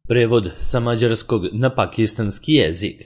Prevod sa mađarskog na pakistanski jezik.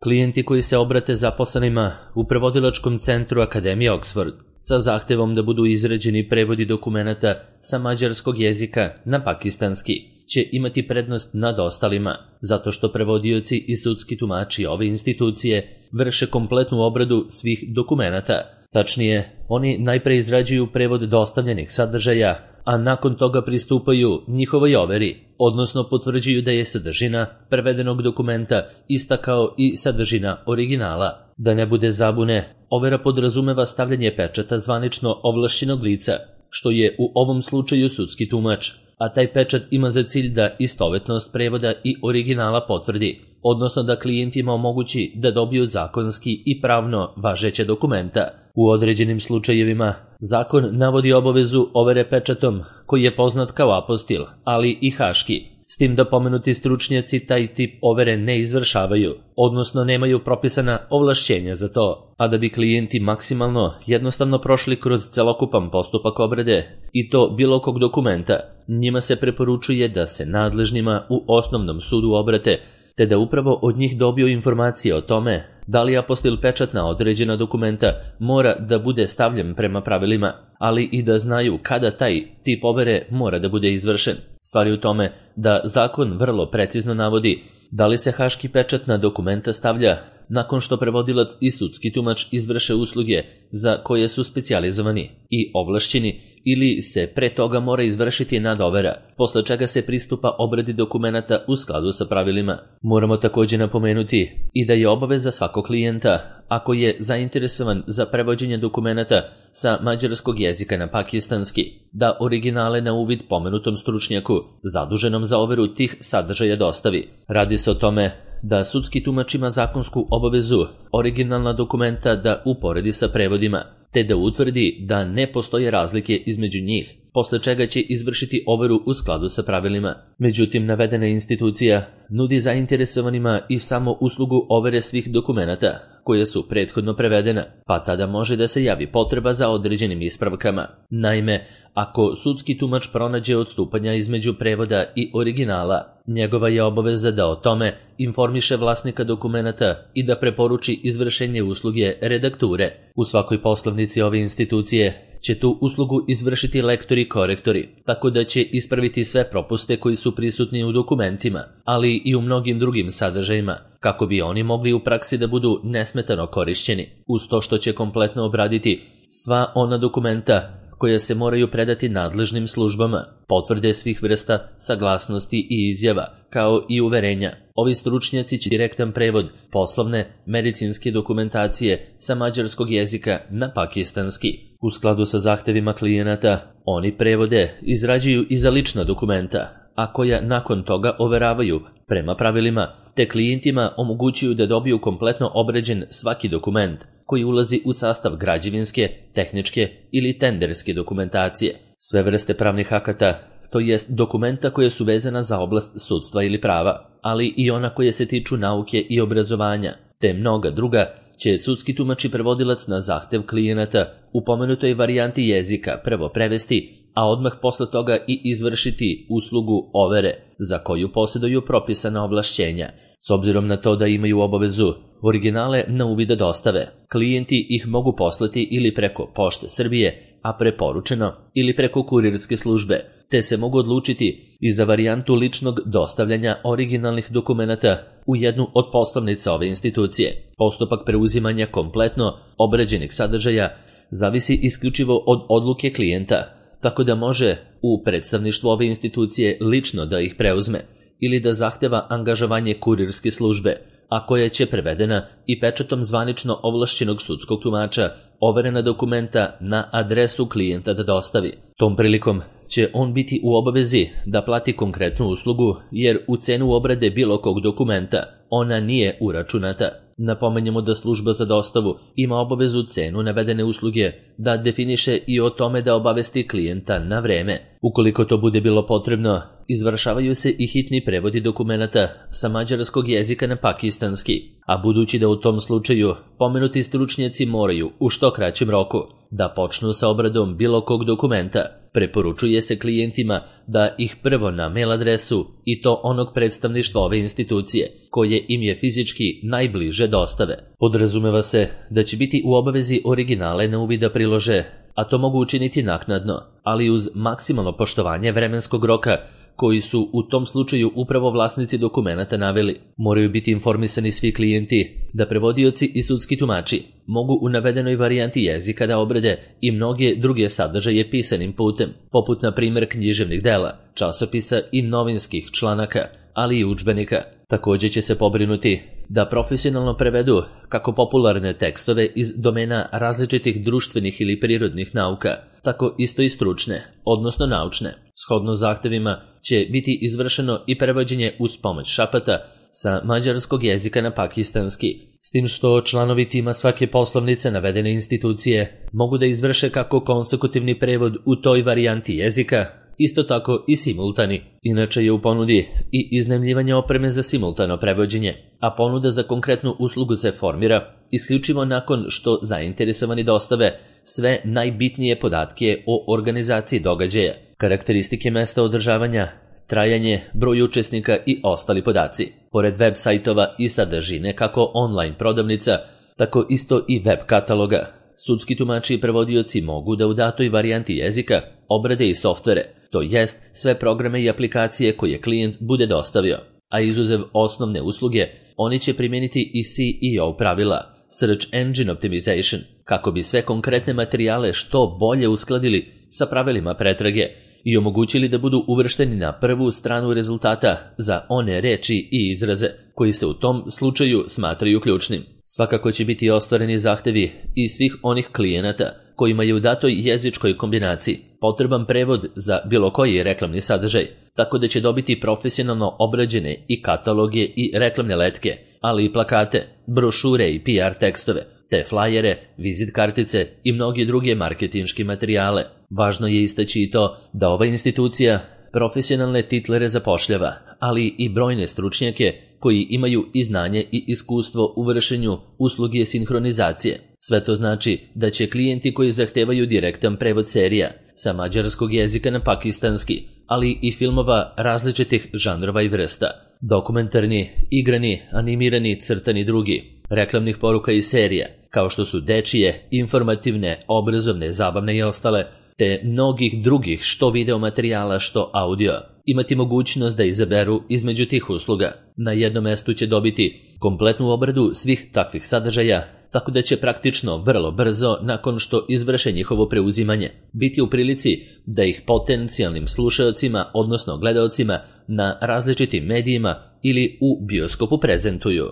Klijenti koji se obrate zaposlenima u prevodilačkom centru Akademije Oxford sa zahtevom da budu izrađeni prevodi dokumenata sa mađarskog jezika na pakistanski će imati prednost nad ostalima, zato što prevodioci i sudski tumači ove institucije vrše kompletnu obradu svih dokumenata. Tačnije, oni najpre izrađuju prevod dostavljenih sadržaja, a nakon toga pristupaju njihovoj overi, odnosno potvrđuju da je sadržina prevedenog dokumenta ista kao i sadržina originala. Da ne bude zabune, overa podrazumeva stavljanje pečata zvanično ovlašćenog lica, što je u ovom slučaju sudski tumač, a taj pečat ima za cilj da istovetnost prevoda i originala potvrdi, odnosno da klijentima omogući da dobiju zakonski i pravno važeće dokumenta. U određenim slučajevima zakon navodi obavezu overe pečatom koji je poznat kao apostil, ali i haški, s tim da pomenuti stručnjaci taj tip overe ne izvršavaju, odnosno nemaju propisana ovlašćenja za to, a da bi klijenti maksimalno jednostavno prošli kroz celokupan postupak obrade i to bilo kog dokumenta, njima se preporučuje da se nadležnima u osnovnom sudu obrate, te da upravo od njih dobiju informacije o tome da li apostil pečat na određena dokumenta mora da bude stavljen prema pravilima, ali i da znaju kada taj tip overe mora da bude izvršen. Stvar je u tome da zakon vrlo precizno navodi da li se haški pečat na dokumenta stavlja nakon što prevodilac i sudski tumač izvrše usluge za koje su specijalizovani i ovlašćeni, ili se pre toga mora izvršiti nadovera, posle čega se pristupa obradi dokumenata u skladu sa pravilima. Moramo također napomenuti i da je obaveza svakog klijenta, ako je zainteresovan za prevođenje dokumenata sa mađarskog jezika na pakistanski, da originale na uvid pomenutom stručnjaku zaduženom za overu tih sadržaja dostavi. Radi se o tome da sudski tumač ima zakonsku obavezu originalna dokumenta da uporedi sa prevodima, te da utvrdi da ne postoje razlike između njih, posle čega će izvršiti overu u skladu sa pravilima. Međutim, navedena institucija nudi zainteresovanima i samo uslugu overe svih dokumenata koje su prethodno prevedena, pa tada može da se javi potreba za određenim ispravkama. Naime, ako sudski tumač pronađe odstupanja između prevoda i originala, njegova je obaveza da o tome informiše vlasnika dokumenata i da preporuči izvršenje usluge redakture. U svakoj poslovnici ove institucije će tu uslugu izvršiti lektori i korektori, tako da će ispraviti sve propuste koji su prisutni u dokumentima, ali i u mnogim drugim sadržajima, kako bi oni mogli u praksi da budu nesmetano korišćeni, uz to što će kompletno obraditi sva ona dokumenta koja se moraju predati nadležnim službama, potvrde svih vrsta saglasnosti i izjava, kao i uverenja. Ovi stručnjaci će direktan prevod poslovne, medicinske dokumentacije sa mađarskog jezika na pakistanski. U skladu sa zahtevima klijenata, oni prevode izrađuju i za lična dokumenta, a koja nakon toga overavaju prema pravilima, te klijentima omogućuju da dobiju kompletno obrađen svaki dokument koji ulazi u sastav građevinske, tehničke ili tenderske dokumentacije. Sve vrste pravnih akata, to jest dokumenta koje su vezana za oblast sudstva ili prava, ali i ona koje se tiču nauke i obrazovanja, te mnoga druga, će sudski tumač i prevodilac na zahtev klijenata u pomenutoj varijanti jezika prvo prevesti, a odmah posle toga i izvršiti uslugu overe, za koju posjeduju propisana ovlašćenja. S obzirom na to da imaju obavezu originale na uvid da dostave, klijenti ih mogu poslati ili preko Pošte Srbije, a preporučeno ili preko kurirske službe, te se mogu odlučiti i za varijantu ličnog dostavljanja originalnih dokumenata u jednu od poslovnica ove institucije. Postupak preuzimanja kompletno obrađenih sadržaja zavisi isključivo od odluke klijenta, tako da može u predstavništvu ove institucije lično da ih preuzme ili da zahteva angažovanje kurirske službe, a koja će prevedena i pečatom zvanično ovlašćenog sudskog tumača overena dokumenta na adresu klijenta da dostavi. Tom prilikom će on biti u obavezi da plati konkretnu uslugu, jer u cenu obrade bilo kog dokumenta ona nije uračunata. Napomenjemo da služba za dostavu ima obavezu cenu navedene usluge da definiše i o tome da obavesti klijenta na vreme. Ukoliko to bude bilo potrebno, izvršavaju se i hitni prevodi dokumenata sa mađarskog jezika na pakistanski, a budući da u tom slučaju pomenuti stručnjaci moraju u što kraćem roku da počnu sa obradom bilo kog dokumenta, preporučuje se klijentima da ih prvo na mail adresu i to onog predstavništva ove institucije, koje im je fizički najbliže dostave. Podrazumeva se da će biti u obavezi originale na uvid da prilože, a to mogu učiniti naknadno, ali uz maksimalno poštovanje vremenskog roka koji su u tom slučaju upravo vlasnici dokumenata naveli. Moraju biti informisani svi klijenti da prevodioci i sudski tumači mogu u navedenoj varijanti jezika da obrade i mnoge druge sadržaje pisanim putem, poput na primjer književnih dela, časopisa i novinskih članaka, ali i udžbenika. Također će se pobrinuti da profesionalno prevedu kako popularne tekstove iz domena različitih društvenih ili prirodnih nauka, tako isto i stručne, odnosno naučne. Shodno zahtevima će biti izvršeno i prevođenje uz pomoć šapata sa mađarskog jezika na pakistanski, s tim što članovi tima svake poslovnice navedene institucije mogu da izvrše kako konsekutivni prevod u toj varijanti jezika, isto tako i simultani. Inače je u ponudi i iznajmljivanje opreme za simultano prevođenje, a ponuda za konkretnu uslugu se formira isključivo nakon što zainteresovani dostave sve najbitnije podatke o organizaciji događaja, karakteristike mesta održavanja, trajanje, broj učesnika i ostali podaci. Pored web sajtova i sadržine kako online prodavnica, tako isto i web kataloga, sudski tumači i prevodioci mogu da u datoj varijanti jezika obrade i softvere, to jest sve programe i aplikacije koje klijent bude dostavio, a izuzev osnovne usluge, oni će primijeniti i SEO pravila, Search Engine Optimization, kako bi sve konkretne materijale što bolje uskladili sa pravilima pretrage i omogućili da budu uvršteni na prvu stranu rezultata za one reči i izraze koji se u tom slučaju smatraju ključnim. Svakako će biti ostvareni zahtevi i svih onih klijenata kojima je u datoj jezičkoj kombinaciji potreban prevod za bilo koji reklamni sadržaj, tako da će dobiti profesionalno obrađene i kataloge i reklamne letke, ali i plakate, brošure i PR tekstove, te flajere, vizit kartice i mnoge druge marketinške materijale. Važno je istaći i to da ova institucija profesionalne titlere zapošljava, ali i brojne stručnjake koji imaju i znanje i iskustvo u vršenju usluge sinhronizacije. Sve to znači da će klijenti koji zahtevaju direktan prevod serija sa mađarskog jezika na pakistanski, ali i filmova različitih žanrova i vrsta, dokumentarni, igrani, animirani, crtani drugi, reklamnih poruka i serija, kao što su dečije, informativne, obrazovne, zabavne i ostale, te mnogih drugih što video materijala, što audio, imati mogućnost da izaberu između tih usluga. Na jednom mestu će dobiti kompletnu obradu svih takvih sadržaja, tako da će praktično vrlo brzo, nakon što izvrše njihovo preuzimanje, biti u prilici da ih potencijalnim slušaocima, odnosno gledaocima na različitim medijima ili u bioskopu prezentuju.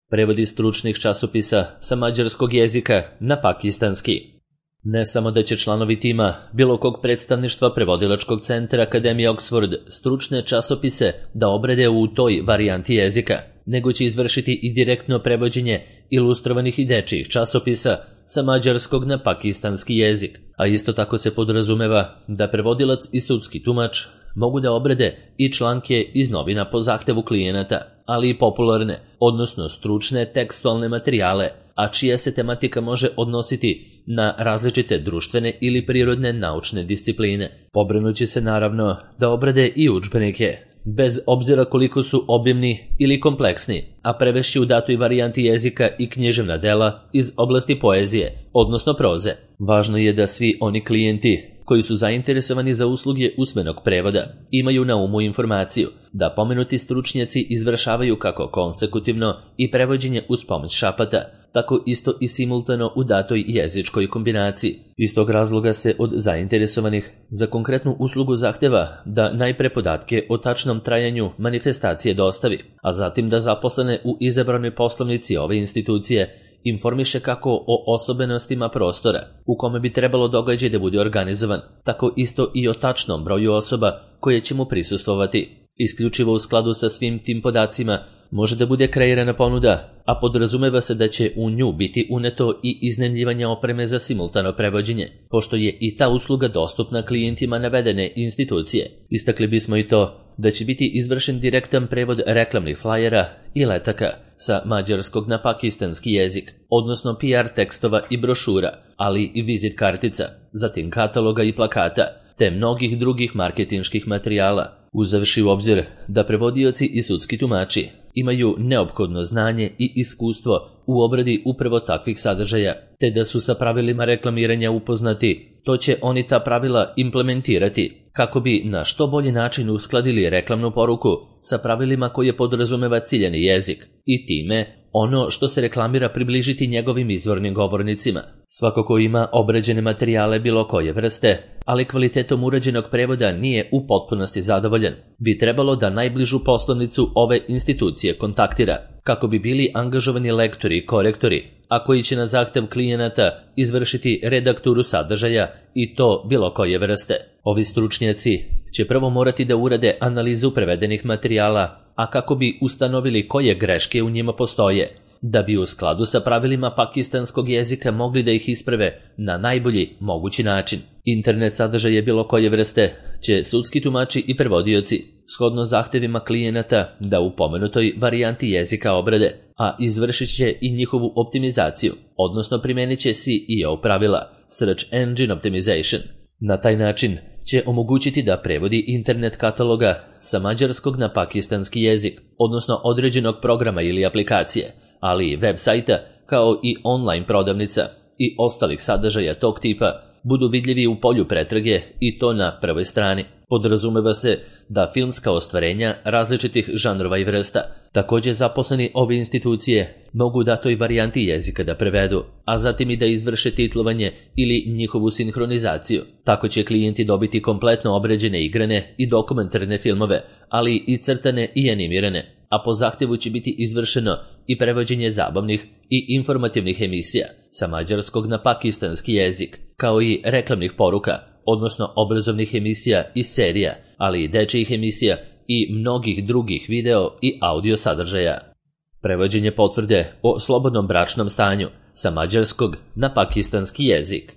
Prevodi stručnih časopisa sa mađarskog jezika na pakistanski. Ne samo da će članovi tima bilo kog predstavništva prevodilačkog centra Akademije Oxford stručne časopise da obrade u toj varijanti jezika, nego će izvršiti i direktno prevođenje ilustrovanih i dečijih časopisa sa mađarskog na pakistanski jezik, a isto tako se podrazumeva da prevodilac i sudski tumač mogu da obrade i članke iz novina po zahtevu klijenata, ali i popularne, odnosno stručne tekstualne materijale, a čija se tematika može odnositi na različite društvene ili prirodne naučne discipline. Pobrinuće se naravno da obrade i udžbenike, bez obzira koliko su obimni ili kompleksni, a prevešći u datoj varijanti jezika i književna dela iz oblasti poezije, odnosno proze. Važno je da svi oni klijenti koji su zainteresovani za usluge usmenog prevoda imaju na umu informaciju da pomenuti stručnjaci izvršavaju kako konsekutivno i prevođenje uz pomoć šapata, tako isto i simultano u datoj jezičkoj kombinaciji. Iz tog razloga se od zainteresovanih za konkretnu uslugu zahteva da najpre podatke o tačnom trajanju manifestacije dostavi, a zatim da zaposlene u izabranoj poslovnici ove institucije informiše kako o osobenostima prostora u kome bi trebalo događaj da bude organizovan, tako isto i o tačnom broju osoba koje će mu prisustvovati. Isključivo u skladu sa svim tim podacima može da bude kreirana ponuda, a podrazumeva se da će u nju biti uneto i iznajmljivanje opreme za simultano prevođenje, pošto je i ta usluga dostupna klijentima navedene institucije. Istakli bismo i to da će biti izvršen direktan prevod reklamnih flajera i letaka sa mađarskog na pakistanski jezik, odnosno PR tekstova i brošura, ali i vizit kartica, zatim kataloga i plakata, te mnogih drugih marketinških materijala, uzevši u obzir da prevodioci i sudski tumači imaju neophodno znanje i iskustvo u obradi upravo takvih sadržaja, te da su sa pravilima reklamiranja upoznati, to će oni ta pravila implementirati kako bi na što bolji način uskladili reklamnu poruku sa pravilima koje podrazumeva ciljani jezik i time ono što se reklamira približiti njegovim izvornim govornicima. Svako ko ima obrađene materijale bilo koje vrste, ali kvalitetom urađenog prevoda nije u potpunosti zadovoljan, bi trebalo da najbližu poslovnicu ove institucije kontaktira, kako bi bili angažovani lektori i korektori, a koji će na zahtev klijenata izvršiti redakturu sadržaja i to bilo koje vrste. Ovi stručnjaci će prvo morati da urade analizu prevedenih materijala, a kako bi ustanovili koje greške u njima postoje, da bi u skladu sa pravilima pakistanskog jezika mogli da ih isprave na najbolji mogući način. Internet sadržaje bilo koje vrste će sudski tumači i prevodioci, shodno zahtevima klijenata, da u pomenutoj varijanti jezika obrade, a izvršit će i njihovu optimizaciju, odnosno primenit će SEO pravila, Search Engine Optimization. Na taj način će omogućiti da prevodi internet kataloga sa mađarskog na pakistanski jezik, odnosno određenog programa ili aplikacije, ali i web sajta, kao i online prodavnica i ostalih sadržaja tog tipa, budu vidljivi u polju pretrage i to na prvoj strani. Podrazumeva se da filmska ostvarenja različitih žanrova i vrsta, također zaposleni ove institucije, mogu datoj varijanti jezika da prevedu, a zatim i da izvrše titlovanje ili njihovu sinhronizaciju. Tako će klijenti dobiti kompletno obrađene igrane i dokumentarne filmove, ali i crtane i animirane, a po zahtevu će biti izvršeno i prevođenje zabavnih i informativnih emisija sa mađarskog na pakistanski jezik, kao i reklamnih poruka, odnosno obrazovnih emisija i serija, ali i dečijih emisija i mnogih drugih video i audio sadržaja. Prevođenje potvrde o slobodnom bračnom stanju sa mađarskog na pakistanski jezik.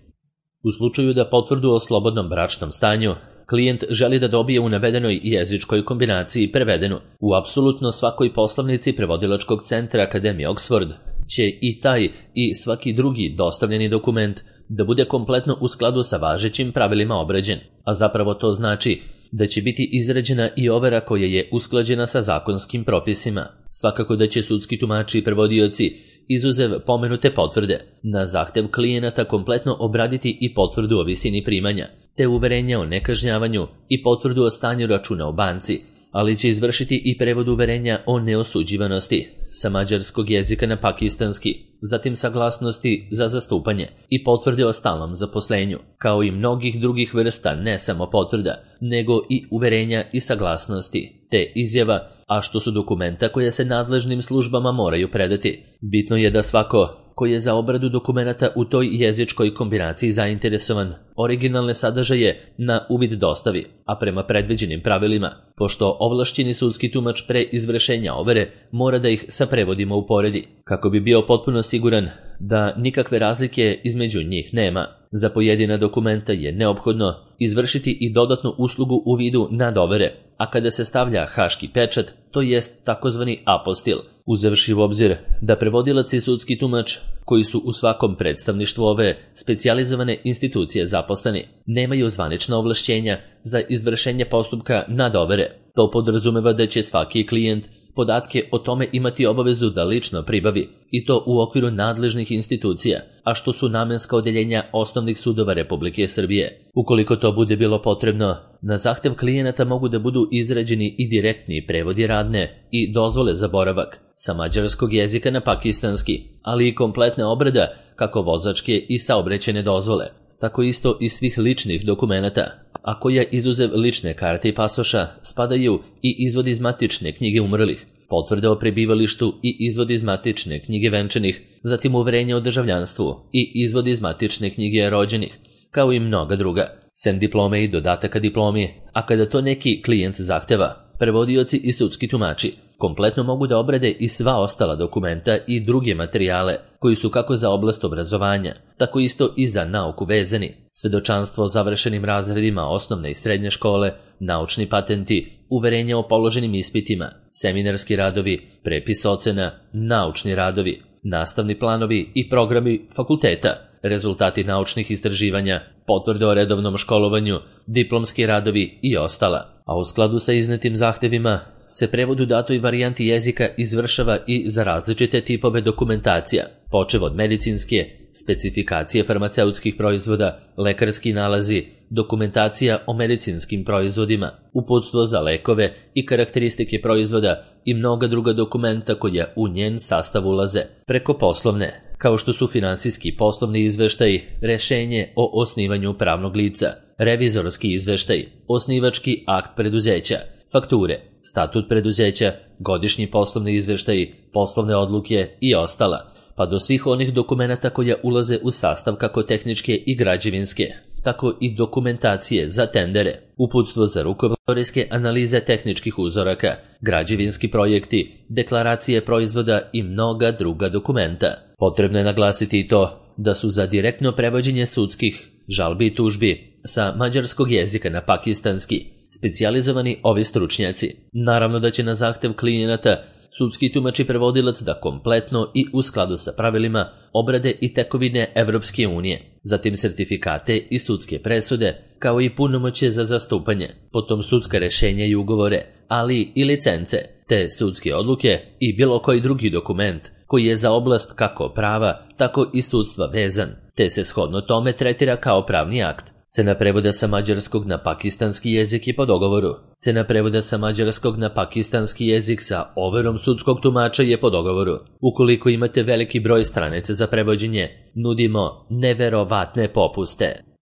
U slučaju da potvrdu o slobodnom bračnom stanju klijent želi da dobije u navedenoj jezičkoj kombinaciji prevedenu u apsolutno svakoj poslovnici prevodilačkog centra Akademije Oxford, će i taj i svaki drugi dostavljeni dokument da bude kompletno u skladu sa važećim pravilima obrađen, a zapravo to znači da će biti izrađena i overa koja je usklađena sa zakonskim propisima. Svakako da će sudski tumači i prevodioci, izuzev pomenute potvrde, na zahtev klijenata kompletno obraditi i potvrdu o visini primanja, te uverenja o nekažnjavanju i potvrdu o stanju računa u banci, ali će izvršiti i prevod uverenja o neosuđivanosti sa mađarskog jezika na pakistanski, zatim saglasnosti za zastupanje i potvrde o stalnom zaposlenju, kao i mnogih drugih vrsta ne samo potvrda, nego i uverenja i saglasnosti, te izjava, a što su dokumenta koje se nadležnim službama moraju predati. Bitno je da svako koji je za obradu dokumenata u toj jezičkoj kombinaciji zainteresovan, originalne sadržaje na uvid dostavi, a prema predviđenim pravilima, pošto ovlašćeni sudski tumač pre izvršenja overe mora da ih sa prevodima uporedi, kako bi bio potpuno siguran da nikakve razlike između njih nema. Za pojedina dokumenta je neophodno izvršiti i dodatnu uslugu u vidu nadovere, a kada se stavlja haški pečat, to jest takozvani apostil, uzevši u obzir da prevodilac i sudski tumač, koji su u svakom predstavništvu ove specijalizovane institucije zaposleni, nemaju zvanična ovlašćenja za izvršenje postupka nadovere. To podrazumeva da će svaki klijent podatke o tome imati obavezu da lično pribavi, i to u okviru nadležnih institucija, a što su namenska odeljenja osnovnih sudova Republike Srbije. Ukoliko to bude bilo potrebno, na zahtev klijenata mogu da budu izrađeni i direktni prevodi radne i dozvole za boravak sa mađarskog jezika na pakistanski, ali i kompletna obrada kako vozačke i saobraćajne dozvole, tako isto i svih ličnih dokumenata, a koja izuzev lične karte i pasoša spadaju i izvod iz matične knjige umrlih, potvrde o prebivalištu i izvod iz matične knjige venčanih, zatim uverenje o državljanstvu i izvod iz matične knjige rođenih, kao i mnoga druga, sem diplome i dodataka diplomi, a kada to neki klijent zahteva, prevodioci i sudski tumači kompletno mogu da obrade i sva ostala dokumenta i druge materijale koji su kako za oblast obrazovanja, tako isto i za nauku vezani, svedočanstvo o završenim razredima osnovne i srednje škole, naučni patenti, uverenja o položenim ispitima, seminarski radovi, prepis ocena, naučni radovi, nastavni planovi i programi fakulteta, rezultati naučnih istraživanja, potvrde o redovnom školovanju, diplomski radovi i ostala. A u skladu sa iznetim zahtevima se prevod u datoj varijanti jezika izvršava i za različite tipove dokumentacija, počev od medicinske, specifikacije farmaceutskih proizvoda, lekarski nalazi, dokumentacija o medicinskim proizvodima, uputstvo za lekove i karakteristike proizvoda i mnoga druga dokumenta koja u njen sastav ulaze, preko poslovne, kao što su finansijski poslovni izveštaji, rešenje o osnivanju pravnog lica, revizorski izveštaj, osnivački akt preduzeća, fakture, statut preduzeća, godišnji poslovni izveštaji, poslovne odluke i ostala, pa do svih onih dokumenata koja ulaze u sastav kako tehničke i građevinske, tako i dokumentacije za tendere, uputstvo za rukovodske analize tehničkih uzoraka, građevinski projekti, deklaracije proizvoda i mnoga druga dokumenta. Potrebno je naglasiti i to da su za direktno prevođenje sudskih žalbi i tužbi sa mađarskog jezika na pakistanski specijalizovani ovi stručnjaci. Naravno da će na zahtev klijenata sudski tumač i prevodilac da kompletno i u skladu sa pravilima obrade i tekovine Evropske unije, zatim sertifikate i sudske presude, kao i punomoćje za zastupanje, potom sudska rešenja i ugovore, ali i licence, te sudske odluke i bilo koji drugi dokument koji je za oblast kako prava, tako i sudstva vezan, te se shodno tome tretira kao pravni akt. Cena prevoda sa mađarskog na pakistanski jezik je po dogovoru. Cena prevoda sa mađarskog na pakistanski jezik sa overom sudskog tumača je po dogovoru. Ukoliko imate veliki broj stranica za prevođenje, nudimo neverovatne popuste.